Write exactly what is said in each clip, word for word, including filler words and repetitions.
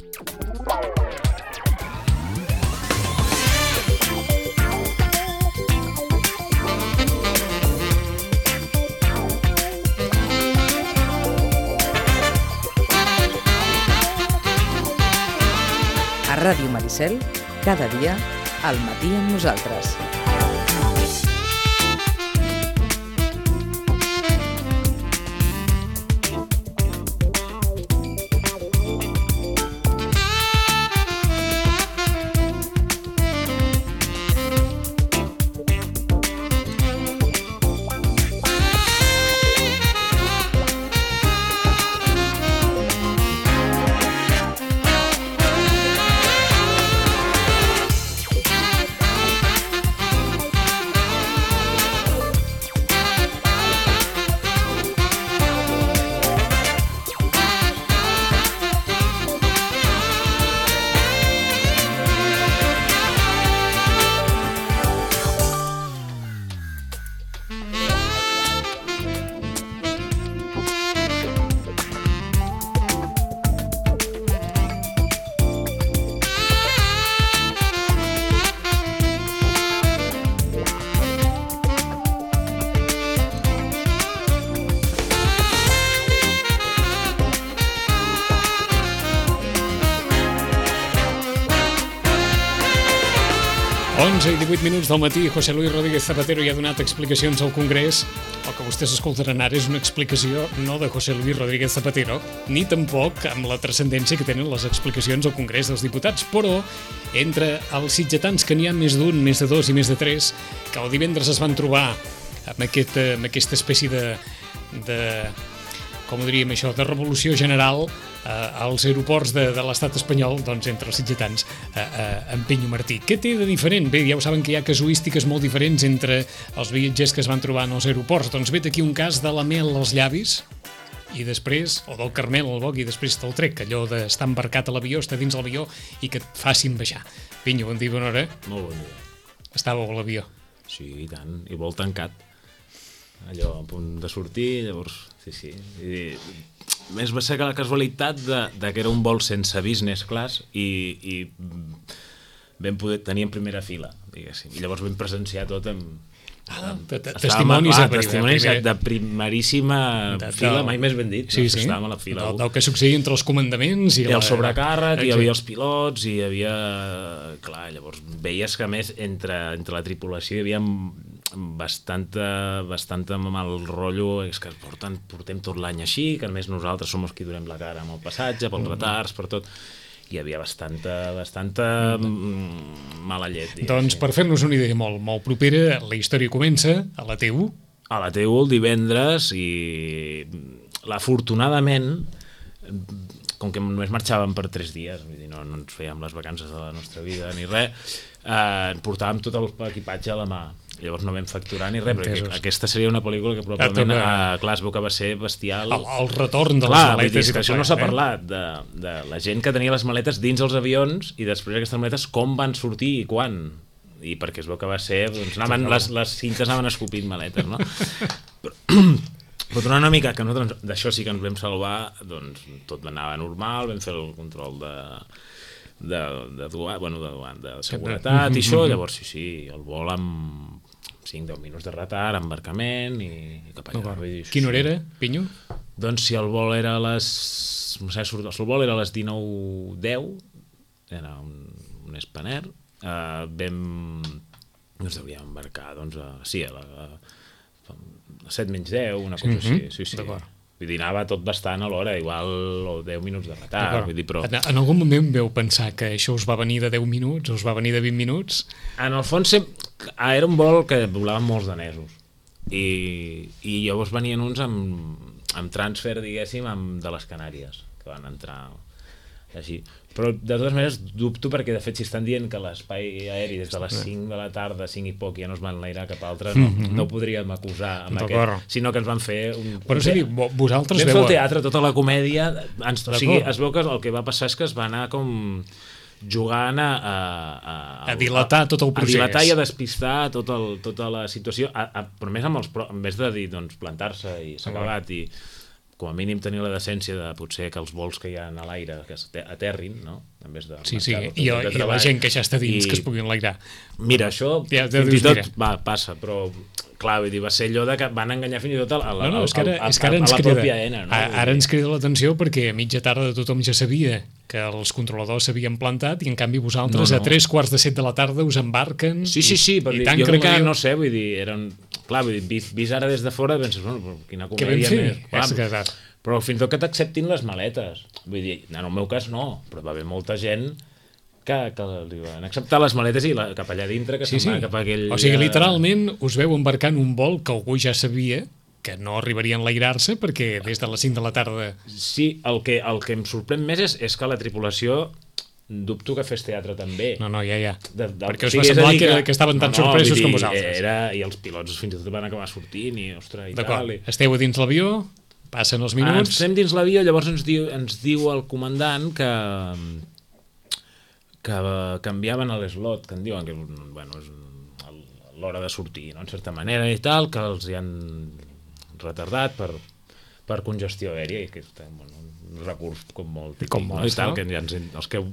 A Ràdio Maricel, cada dia, al matí amb nosaltres. onze i divuit minuts del matí, José Luis Rodríguez Zapatero ja ha donat explicacions al Congrés. El que vostès escoltaran ara és una explicació no de José Luis Rodríguez Zapatero, ni tampoc amb la transcendència que tenen les explicacions al Congrés dels Diputats, però entre els sitgetans, que n'hi ha més d'un, més de dos i més de tres, que el divendres es van trobar amb, aquest, amb aquesta espècie de, de com ho diríem això, de revolució general eh, als aeroports de, de l'estat espanyol, doncs entre els sitgetans eh, eh, en Pinyo Martí. Què té de diferent? Bé, ja ho saben que hi ha casuístiques molt diferents entre els viatgers que es van trobar en els aeroports. Doncs vet aquí un cas de la mel als llavis i després, o del carmel al boc i després te'l trec, allò d'estar embarcat a l'avió, estar dins l'avió i que et facin baixar. Pinyo, bon dia, bona hora. Molt bon dia. Estàveu a l'avió? Sí, i tant, i vol tancat. Allò a punt de sortir, llavors, sí, sí. I, més va ser que la casualitat de, de que era un vol sense business class i, i vam poder tenir en primera fila, diguéssim. I llavors vam presenciar tot amb... Ah, testimonis, ah, testimonis de, de primeríssima de, fila, de, mai més ben dit. Sí, no? sí, Estàvem a la fila. Del, del que succeïa entre els comandaments i, I la, el sobrecàrrec, la... hi havia els pilots, i hi havia... Clar, llavors veies que, a més, entre, entre la tripulació hi havia bastanta, bastanta mal rotllo, és que porten, portem tot l'any així, que a més nosaltres som els que durem la cara amb el passatge, pels retards, per tot. Hi havia bastanta, bastanta mala llet. Digues. Doncs per fer-nos una idea molt, molt propera, la història comença a la T u. A la T u el divendres i afortunadament, com que només marxàvem per tres dies, vull dir, no, no ens fèiem les vacances de la nostra vida ni res, eh, portàvem tot l'equipatge a la mà. Llavors no vam facturar ni res, perquè aquesta seria una pel·lícula que probablement, eh, clar, es veu que va ser bestial. El, el retorn de clar, les maletes. Dir, que això no s'ha eh? parlat, de, de la gent que tenia les maletes dins els avions i després aquestes maletes com van sortir i quan. I perquè es veu que va ser, doncs, anaven, les, les cintes anaven escopint maletes, no? Però, però tornant una mica, que nosaltres d'això sí que ens vam salvar, doncs tot anava normal, vam fer el control de... de, de, duan, bueno, de, duan, de seguretat i això, llavors sí, sí, el vol amb cinc a deu minuts de retard, embarcament i, i cap allà. Dir, quina hora era, Pinyo? Doncs si el vol era a les... no sé, el vol era a les dinou deu, era un, un Spanair, uh, vam... ens hauríem embarcar, doncs, a, sí, a, la, a, a set menys deu, una cosa mm-hmm. així, sí, sí. D'acord. Vull dir, anava tot bastant a l'hora, igual deu minuts de retard. Vull dir, però... En, en algun moment veu pensar que això us va venir de deu minuts, us va venir de vint minuts? En el fons, era un vol que volaven molts danesos. I, i llavors venien uns amb, amb transfer, diguéssim, amb, de les Canàries, que van entrar així. Però, de totes maneres, dubto perquè, de fet, si estan dient que l'espai aeri des de les cinc de la tarda, cinc i poc, ja no es van enlairar cap altre, no, mm-hmm. no ho podríem acusar amb aquest, sinó que ens van fer un... Però és a dir, vosaltres vam fer el teatre, tota la comèdia, ens, o sigui, es veu que el que va passar és que es va anar com jugant a... A, a, a dilatar tot el procés. A dilatar i a despistar tot el, tota la situació, a, a, però més amb els... en vez de dir, doncs, plantar-se i s'ha acabat i... com a mínim tenir la decència de potser que els vols que hi ha a l'aire que aterrin, no? En vez de sí, sí, i, i la gent que ja està dins, i... que es puguin enlairar. Mira, això ja, ja fins i tot va, passa, però clar, vull dir, va ser allò de que van enganyar fins i tot a la, no, no, és que ara, a, és que ara a, a la crida, pròpia ENA. No? Ara, ara ens crida l'atenció perquè a mitja tarda tothom ja sabia que els controladors s'havien plantat i en canvi vosaltres no, no. a tres quarts de set de la tarda us embarquen. Sí, sí, sí, i, i jo crec que, no sé, vull dir, eren... Clar, vull dir, vist, vist ara des de fora, penses, bueno, quina comèdia més... Clar, però fins i tot que t'acceptin les maletes. Vull dir, en el meu cas no, però va haver molta gent que, que li van acceptar les maletes i la, cap allà dintre, que sí, se'n sí. va cap a aquell... O sigui, literalment us veu embarcar en un vol que algú ja sabia que no arribaria a enlairar-se perquè des de les cinc de la tarda... Sí, el que, el que em sorprèn més és, és que la tripulació dubto que fes teatre també. No, no, ja, ja. De, de, perquè us va semblar que, que, que estaven tan no, no, sorpresos dir, com vosaltres. Era, I els pilots fins i tot van acabar sortint i, ostres, i tal. I... Esteu a dins l'avió, passen els minuts... Ah, estem dins l'avió, llavors ens diu, ens diu el comandant que que canviaven l'slot, que en diuen que bueno, és l'hora de sortir, no? En certa manera i tal, que els hi han retardat per, per congestió aèria i que és bueno, un recurs com molt típic, com molt, no? I tal, que ja ens, els que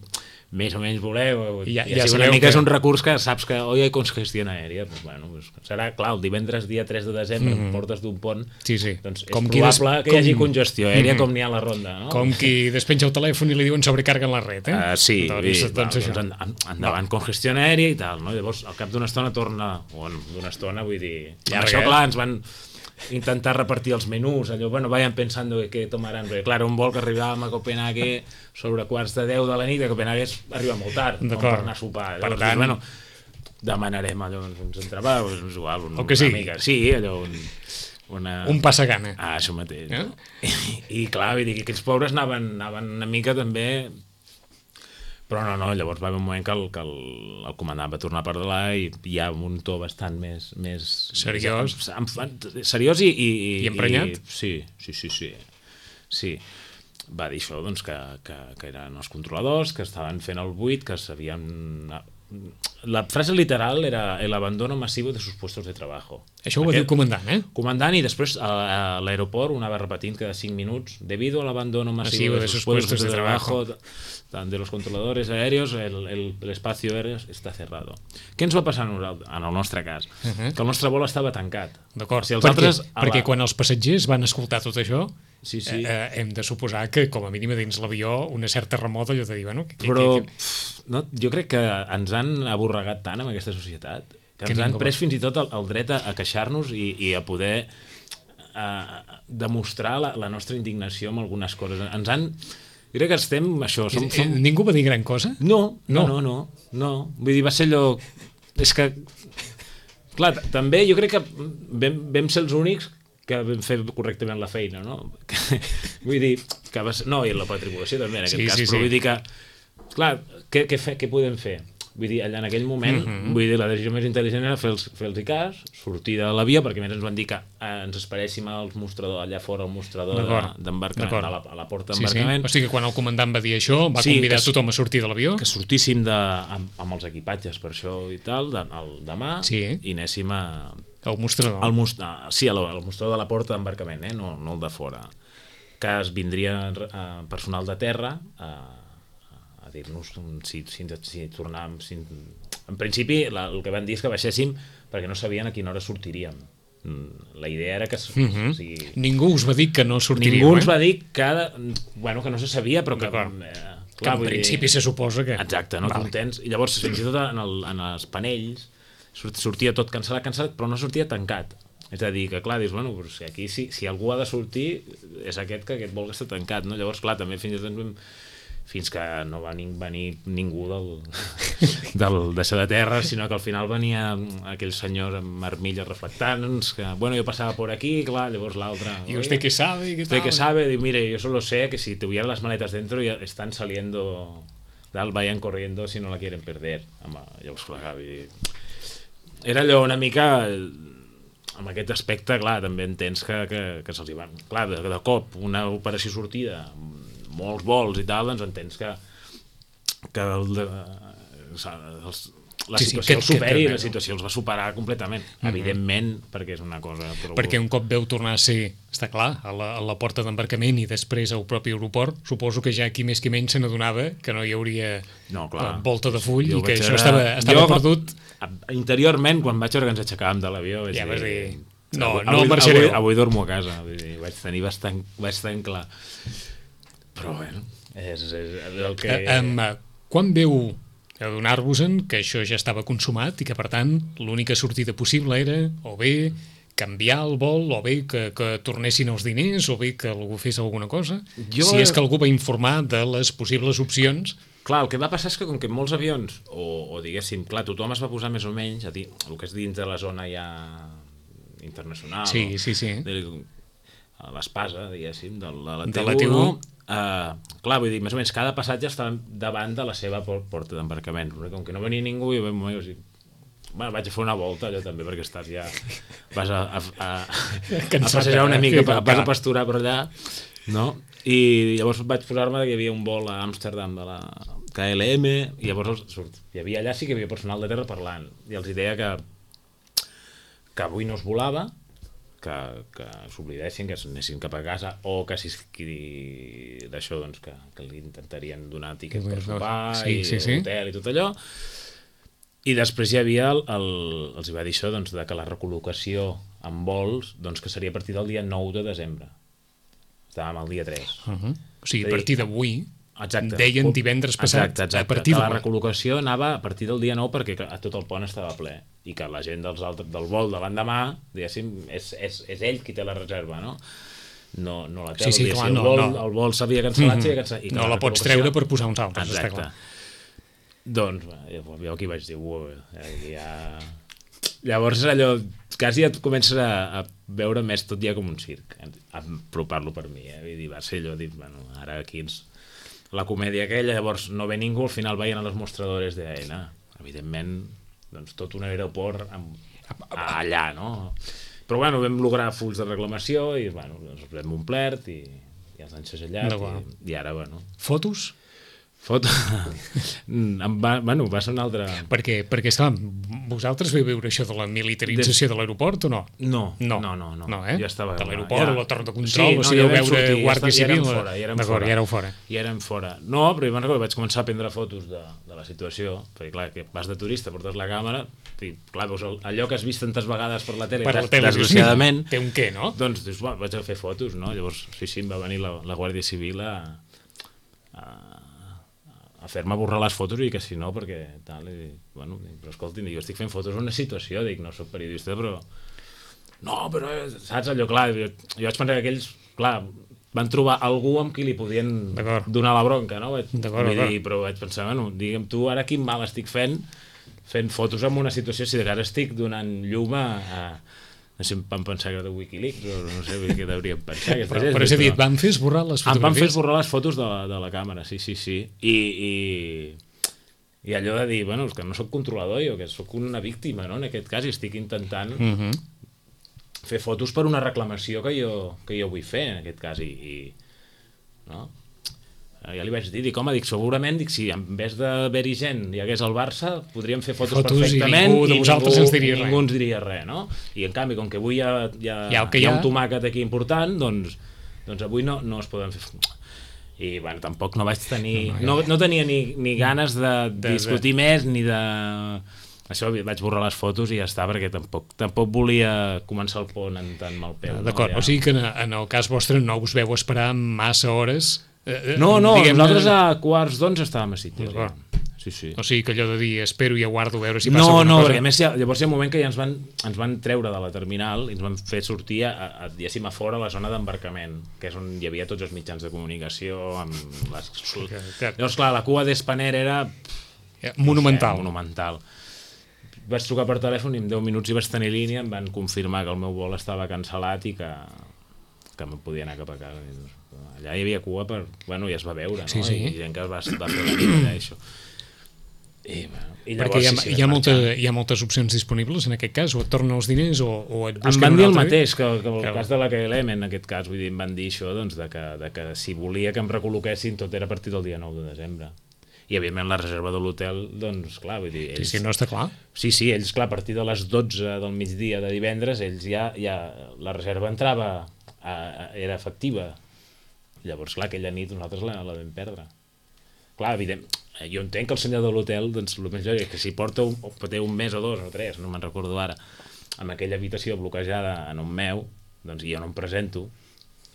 més o menys voleu i ja, ja, ja una mica que... és un recurs que saps que oi hi ha congestió aèria, pues, bueno, pues, serà clar, el divendres dia tres de desembre mm -hmm. portes d'un pont, sí, sí. doncs és com probable des... que hi hagi congestió aèria mm -hmm. com n'hi ha a la ronda, no? Com qui despenja el telèfon i li diuen sobrecarga en la red, eh? Uh, sí, doncs, i, doncs, doncs, doncs endavant no. congestió aèria i tal, no? Llavors al cap d'una estona torna, o d'una estona vull dir, ja això clar, ens van intentar repartir els menús, allò, bueno, vayan pensando que tomaran, perquè clar, un vol que arribàvem a Copenhague sobre quarts de deu de la nit, a Copenhague arriba molt tard, com per anar a sopar. Per tant, bueno, demanarem allò, uns entrepans, doncs igual, un, o que sí. una mica, sí, allò, un, una... un passagana. Ah, això mateix. Eh? No? I, I clar, vull dir que aquests pobres anaven, anaven una mica també... Però no, no, llavors va haver un moment que el, que el, el comandant va tornar a parlar i hi ha un to bastant més... més seriós? Més, seriós i... I, I emprenyat? I, sí, sí, sí, sí. Sí. Va dir això, doncs, que, que, que eren els controladors, que estaven fent el buit, que s'havien... La frase literal era el abandono masivo de sus puestos de trabajo. Això ho va dir el comandant, eh? Comandant, i després a, a l'aeroport ho anava repetint cada cinc minuts. Debido al abandono masivo, masivo de sus puestos, puestos de, de trabajo, trabajo de los controladores aéreos, el, el, el espacio aéreo està cerrado. Què ens va passar en el nostre cas? Uh -huh. Que el nostre vol estava tancat. D'acord, si perquè, altres, perquè la... quan els passatgers van escoltar tot això, sí, sí. Eh, hem de suposar que com a mínim dins l'avió una certa remota allò de dir, bueno... Que, Però que, que... No, jo crec que ens han aborregat tant amb aquesta societat que, que ens han pres fins i tot el, el dret a, a queixar-nos i, i a poder a, a demostrar la, la nostra indignació amb algunes coses. Ens han... Jo crec que estem... Això, som, som... Ningú va dir gran cosa? No, no, no, no, no. Vull dir, va ser allò... És que... Clar, també jo crec que vam, vam ser els únics que vam fer correctament la feina, no? Vull dir, que va ser... No, i la tripulació també, en aquest sí, cas, sí, però sí. vull dir que... Clar, què, què, fe, què podem fer? Vull dir, allà en aquell moment, mm -hmm. vull dir, la decisió més intel·ligent era fer-los fer cas, sortir de l'avió, perquè més ens van dir que eh, ens esperéssim als mostradors, allà fora al mostrador d'embarcament, a, la, a la porta d'embarcament. Sí, sí. O sigui que quan el comandant va dir això, va sí, convidar que, tothom a sortir de l'avió? Que sortíssim de, amb, amb els equipatges per això i tal, de, el, demà, sí. i anéssim a... Al mostrador. Al most, sí, al, al mostrador de la porta d'embarcament, eh? no, no el de fora. Que es vindria eh, personal de terra a a dir-nos si, si, si tornàvem... Si... En principi, la, el que van dir és que baixéssim perquè no sabien a quina hora sortiríem. La idea era que... Uh -huh. o sigui, ningú us va dir que no sortiríem, Ningú eh? ens va dir que... Bueno, que no se sabia, però que... Eh, clar, que en principi dir... se suposa que... Exacte, no? Vale. Contents. I llavors, fins i tot en, el, en els panells sortia tot cancel·lat, cancel·lat, però no sortia tancat. És a dir, que clar, dius, bueno, però si aquí si, si algú ha de sortir és aquest que aquest vol que està tancat, no? Llavors, clar, també fins i tot vam... fins que no va venir ningú del, del deixar de terra, sinó que al final venia aquell senyor amb armilles reflectants, que, bueno, jo passava por aquí, clar, llavors l'altre... ¿Y usted qué sabe? ¿Qué ¿Usted qué sabe? Diu, mire, yo solo sé que si tuviera las maletas dentro ya están saliendo, tal, vayan corriendo si no la quieren perder. Home, llavors, clar, era allò una mica... Amb aquest aspecte, clar, també entens que, que, que se'ls hi van... Clar, de, de cop, una operació sortida... molts vols i tal, doncs entens que, que el de, els, la Sí, sí, situació que- el superi, que- la situació els va superar completament, evidentment, perquè és una cosa... Però... Perquè un cop veu tornar a ser, està clar, a la, a la porta d'embarcament i després al propi aeroport, suposo que ja qui més qui menys se n'adonava que no hi hauria No, clar. eh, volta de full Jo i que vaig això veure- estava, estava Jo, perdut. Interiorment, quan vaig veure que ens aixecàvem de l'avió, vaig Ja vas dir, no, avui, no avui, marxareu. avui, avui dormo a casa, vull dir, vaig tenir bastant, bastant clar. Però bueno, és, és el que... Eh, um, quan veu adonar-vos-en que això ja estava consumat i que, per tant, l'única sortida possible era o bé canviar el vol, o bé que, que tornessin els diners, o bé que algú fes alguna cosa? Jo- Si és que algú va informar de les possibles opcions... Clar, el que va passar és que com que molts avions, o, o diguéssim, clar, tothom es va posar més o menys a dir, el que és dins de la zona ja internacional, Sí, no? sí, sí. De- a l'espasa, diguéssim, de la, De T la U, T U. no? Uh, clar, vull dir, més o menys cada passatge està davant de la seva por- porta d'embarcament, perquè com que no venia ningú, jo vam, o sigui, bueno, vaig a fer una volta allò també, perquè estàs ja vas a, a, a, a Cansat passejar una de mica, fer vas a cap. pasturar per allà, no? I llavors vaig posar-me que hi havia un vol a Amsterdam de la K L M, i llavors els, surt, hi havia allà sí que hi havia personal de terra parlant, i els deia que que avui no es volava, que, que s'oblidessin, que anessin cap a casa, o que si d'això, doncs, que, que li intentarien donar tiquets per sopar, Sí, i sí, sí. hotel i tot allò. I després hi havia, el, el, els va dir això, doncs, de que la recol·locació en vols, doncs, que seria a partir del dia nou de desembre. Estàvem al dia tres. Uh -huh. O sigui, És a a dir, partir d'avui, Exacte. deien divendres passat, exacte, exacte. a partir que la d'avui. recol·locació anava a partir del dia nou perquè a tot el pont estava ple i que la gent dels altres, del vol de l'endemà, diguéssim, és, és, és ell qui té la reserva, no? No, no la té. Sí, sí, el, dia, clar, si el, no, vol, no. el vol s'havia cancel·lat, s'havia cancel·lat. I que No la pots recol·locació- treure per posar uns altres, està Exacte. clar. Doncs, jo, jo aquí vaig dir, uau, ja... Llavors allò, quasi et comences a, a veure més tot ja com un circ, a apropar-lo per mi, eh? Vull dir, va ser allò, dir, bueno, ara aquí ens... La comèdia aquella, llavors no ve ningú, al final veien a los mostradores de Aena, evidentment, doncs tot un aeroport amb, allà, no? Però bueno, vam lograr fulls de reclamació i, bueno, doncs els hem omplert i, i els han segellat i, i ara, bueno... Fotos? Foto... em va, bueno, va ser una altra... Perquè, perquè esclar, vosaltres veu veure això de la militarització de, de l'aeroport o no? No, no, no, no. no. no eh? Jo estava... De l'aeroport, ja... o la torre de control, sí, o no, sigui, ja veu vam veure sortir, Guàrdia ja Civil... érem fora, ja érem D'acord, fora. ja éreu fora. Ja érem fora. No, però jo me'n recordo, vaig començar a prendre fotos de, de la situació, perquè clar, que vas de turista, portes la càmera, i clar, veus allò que has vist tantes vegades per la tele, Per la des, tele, desgraciadament... té un què, no? Doncs dius, bueno, vaig a fer fotos, no? Llavors, sí, sí, em va venir la, la Guàrdia Civil a... a a fer-me borrar les fotos i que si no, perquè tal, i, bueno, dic, però escolti, jo estic fent fotos d'una situació, dic, no soc periodista, però no, però saps allò, clar, jo, jo vaig pensar que aquells, clar, van trobar algú amb qui li podien donar la bronca, no? Vaig, dir, però vaig pensar, bueno, digue'm tu, ara quin mal estic fent fent fotos en una situació, si de cara estic donant llum a, a no sé, vam pensar que era de Wikileaks o no sé què hauríem pensat. Però, però és a dir, et van fer esborrar les fotografies? Em van fer esborrar les fotos de la, de la càmera, sí, sí, sí. I, i, i allò de dir, bueno, és que no sóc controlador jo, que sóc una víctima, no?, en aquest cas, i estic intentant uh -huh. fer fotos per una reclamació que jo, que jo vull fer, en aquest cas, i, i no? Ja li vaig dir, dic, home, dic, segurament, dic, si en vez d'haver-hi gent hi hagués el Barça, podríem fer fotos, fotos perfectament i ningú de vosaltres ningú, ens diria ningú res. ens diria res, no? I en canvi, com que avui hi ha, hi ha, ja hi ha un tomàquet aquí important, doncs, doncs avui no, no es poden fer... I, bueno, tampoc no vaig tenir... No, no tenia ni, ni ganes de, de discutir de... més, ni de... Això, vaig borrar les fotos i ja està, perquè tampoc, tampoc volia començar el pont en tan mal peu. D'acord, no? Ja... o sigui que en, en el cas vostre no us veu esperar massa hores... No, no, nosaltres a quarts d'onze estàvem a Sitges. Ja. Sí, sí. O sigui que allò de dir espero i aguardo a veure si passa no, alguna no, cosa... No, no, a més llavors hi ha un moment que ja ens van, ens van treure de la terminal i ens van fer sortir a, a, diguéssim, a fora a la zona d'embarcament, que és on hi havia tots els mitjans de comunicació, amb les... Llavors, clar, la cua d'Spanair era... Monumental. No sé, monumental. Vaig trucar per telèfon i en deu minuts hi vaig tenir línia, em van confirmar que el meu vol estava cancel·lat i que, que em podia anar cap a casa. Allà hi havia cua per... Bueno, ja es va veure, no? Sí, sí. I gent que es va, va fer la vida, això. I, bueno, i llavors, perquè hi ha, sí, sí, hi, ha molta, hi ha moltes opcions disponibles en aquest cas, o et tornen els diners o, o et busquen em van un dir el altre mateix que, que el que... cas de la K L M, en aquest cas, vull dir, em van dir això, doncs, de que, de que si volia que em recol·loquessin tot era a partir del dia nou de desembre. i evidentment la reserva de l'hotel, doncs clar, vull dir, ells... Sí, sí, no està clar. Sí, sí, ells, clar, a partir de les dotze del migdia de divendres, ells ja, ja la reserva entrava, a, a, era efectiva. Llavors, clar, aquella nit nosaltres la, la vam perdre. Clar, evident, jo entenc que el senyor de l'hotel, doncs, el més lògic és que si porta un, té un mes o dos o tres, no me'n recordo ara, amb aquella habitació bloquejada en un meu, doncs jo no em presento,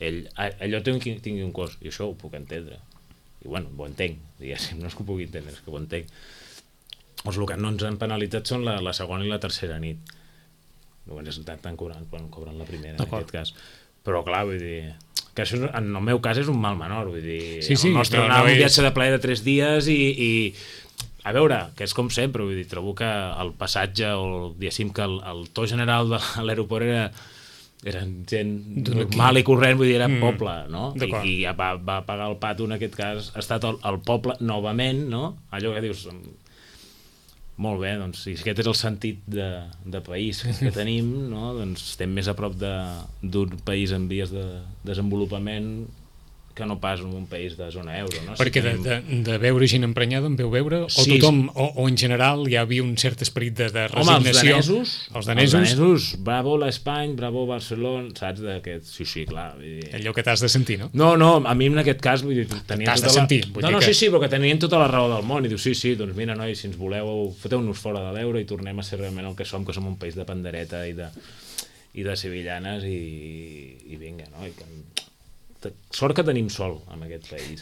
ell, allò tingui, tingui un cost, i això ho puc entendre. I bueno, ho entenc, diguéssim, no és que ho pugui entendre, és que ho entenc. Doncs el que no ens han penalitzat són la, la segona i la tercera nit. No ens estan cobrant quan cobren la primera, en aquest cas. Però clar, vull dir, que això en el meu cas és un mal menor, vull dir, sí, sí, el nostre no, anava no un és... viatge de plaer de tres dies i, i a veure, que és com sempre, vull dir, trobo que el passatge o diguéssim que el, el to general de l'aeroport era eren gent normal i corrent, vull dir, era mm. poble, no? I, i ja va, va pagar el pato, en aquest cas, ha estat el, el poble novament, no? Allò que dius, molt bé, doncs, si aquest és el sentit de, de país que tenim, no? Doncs estem més a prop d'un país en vies de desenvolupament que no pas en un país de zona euro, no? Perquè si tenim... de, de, de veure gent emprenyada en veu veure, o sí, tothom, o, o en general hi havia un cert esperit de, de resignació. Home, els danesos, els danesos, els danesos, bravo l'Espany, bravo Barcelona, saps, d'aquest, sí, sí, clar. Vull dir... Allò que t'has de sentir, no? No, no, a mi en aquest cas, vull dir, tenien t'has tota de sentir. La... Vull no, dir no, que... sí, sí, però que tenien tota la raó del món, i diu, sí, sí, doncs mira, noi, si ens voleu, foteu-nos fora de l'euro i tornem a ser realment el que som, que som un país de pandereta i de, i de sevillanes, i, i vinga, no? I que... Sort que tenim sol en aquest país,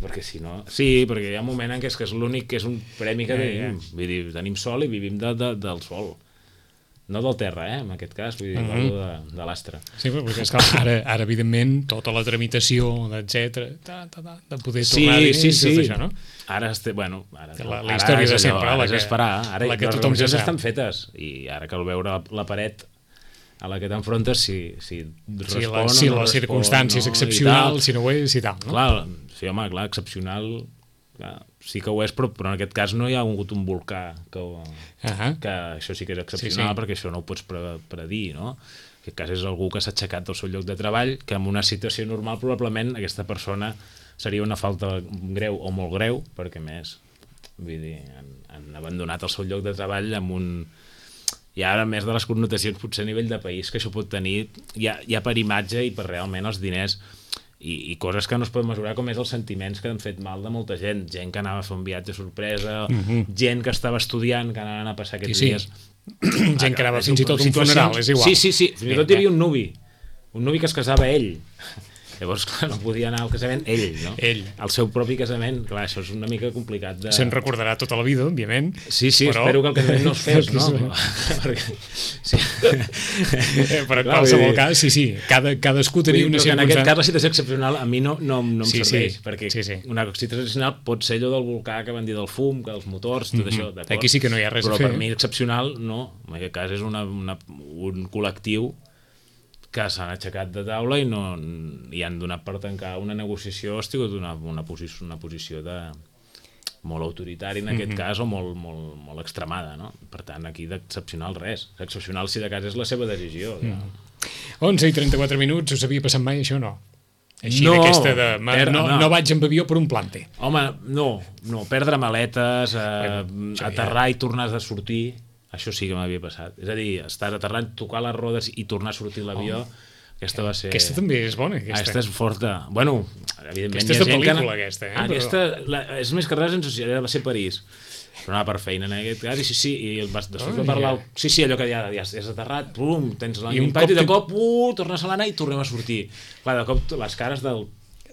perquè si no... Sí, perquè hi ha un moment en què és, que és l'únic que és un premi que tenim, vull dir, tenim sol i vivim de, de, del sol, no del terra, eh, en aquest cas, vull dir, mm-hmm. de, de l'astre. Sí, perquè és que ara, ara evidentment, tota la tramitació, etcètera, de poder tornar sí, diners, sí, sí. tot això, no? Ara, este, bueno, ara, la, la ara història és de sempre, allò, la ara que, és esperar, ara la que les tothom ja reunions sap. estan fetes, i ara cal veure la, la paret a la que t'enfrontes, si, si respon si la, o si no les respon, circumstàncies no, excepcionals, si no ho és, i tal, no? Clar, sí, home, clar, excepcional, clar, sí que ho és, però, però en aquest cas no hi ha hagut un volcà que, uh-huh. que això sí que és excepcional, sí, sí. Perquè això no ho pots pre predir, no? En aquest cas és algú que s'ha aixecat del seu lloc de treball, que en una situació normal probablement aquesta persona seria una falta greu o molt greu, perquè més, vull dir, han, han abandonat el seu lloc de treball amb un... I ara, a més de les connotacions potser a nivell de país que això pot tenir, ja, ja per imatge i per realment els diners i, i coses que no es poden mesurar, com és els sentiments que han fet mal de molta gent, gent que anava a fer un viatge sorpresa, mm-hmm. gent que estava estudiant, que anaven a passar aquests sí, sí. dies... gent que anava fins i tot un funeral, és igual. Sí, sí, sí, fins i tot hi havia un nuvi, un nuvi que es casava ell. Llavors, clar, no podia anar al casament ell, no? Ell. Al seu propi casament, clar, això és una mica complicat de... Se'n recordarà tota la vida, òbviament. Sí, sí, però... espero que el casament no es fes, no? Perquè... Sí. Però en qualsevol cas, sí, sí, cada, cadascú tenia una circumstància... En aquest cas la situació excepcional a mi no, no, no em sí, serveix, sí. perquè sí, sí. una situació excepcional pot ser allò del volcà que van dir del fum, que dels motors, tot mm-hmm. això, d'acord? Aquí sí que no hi ha res però a fer. Però per mi excepcional, no. En aquest cas és una, una, un col·lectiu que s'han aixecat de taula i, no, i han donat per tancar una negociació, hosti, una, una, posició, una posició de molt autoritària en aquest mm-hmm. cas o molt, molt, molt extremada, no? Per tant, aquí d'excepcional res. Excepcional si de cas és la seva decisió. Mm. No? onze i trenta-quatre minuts, us havia passat mai això o no? Així no, d'aquesta de... per, no, no. no vaig amb avió per un plante. Home, no, no, perdre maletes, eh, bueno, aterrar ja. I tornar a sortir... Això sí que m'havia passat. És a dir, estar aterrant, tocar les rodes i tornar a sortir l'avió, oh. aquesta va ser... Aquesta també és bona, aquesta. Aquesta és forta. Bueno, evidentment... Aquesta és de pel·lícula, que... aquesta, eh? Aquesta, la, és més que res, va ser París. Però anava per feina en aquest cas, i sí, sí, i vas, després oh, de parlar... Ja. Sí, sí, allò que ja, ja has aterrat, pum, tens l'impacte, i de cop, uh, tornes a l'anar i tornem a sortir. Clar, de cop, les cares del...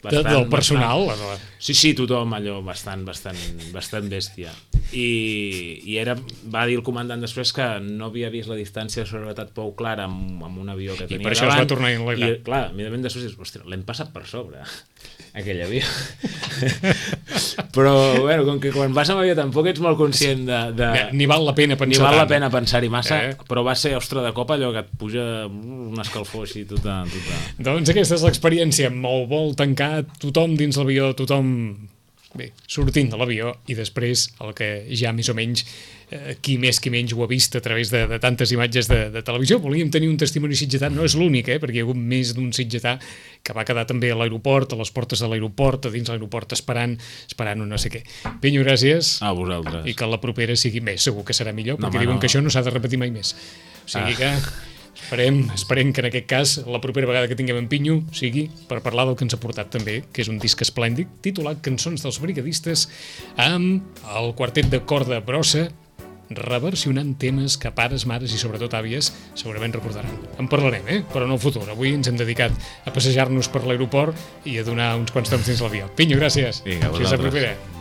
Bastant, del personal bastant, sí, sí, tothom allò bastant, bastant, bastant bèstia i, i era, va dir el comandant després que no havia vist la distància de seguretat prou clara amb, amb un avió que tenia i per això davant, es va tornar a enlegar i clar, immediatament després dius, ostres, l'hem passat per sobre aquell avió però bueno, com que quan vas amb avió tampoc ets molt conscient de, de... ni val la pena pensar ni val tant. la pena pensar-hi massa eh? Però va ser, ostres, de cop allò que et puja un escalfor així tota, tota... Doncs aquesta és l'experiència, molt vol tancar tothom dins l'avió, tothom bé, sortint de l'avió i després el que ja més o menys eh, qui més qui menys ho ha vist a través de, de tantes imatges de, de televisió. Volíem tenir un testimoni sitgetà, no és l'únic, eh, perquè hi ha hagut més d'un sitgetà que va quedar també a l'aeroport, a les portes de l'aeroport, a dins l'aeroport esperant, esperant un no sé què. Pinyo, gràcies. A vosaltres. I que la propera sigui més, segur que serà millor, No, perquè home, diuen no. que això no s'ha de repetir mai més. O sigui Ah. que esperem, esperem que en aquest cas la propera vegada que tinguem en Pinyo sigui per parlar del que ens ha portat també, que és un disc esplèndid titulat Cançons dels Brigadistes, amb el quartet de corda brossa reversionant temes que pares, mares i sobretot àvies segurament recordaran. En parlarem, eh? Però no el futur. Avui ens hem dedicat a passejar-nos per l'aeroport i a donar uns quants temps dins l'avió. Pinyo, gràcies. Vinga, Fins la vosaltres. propera.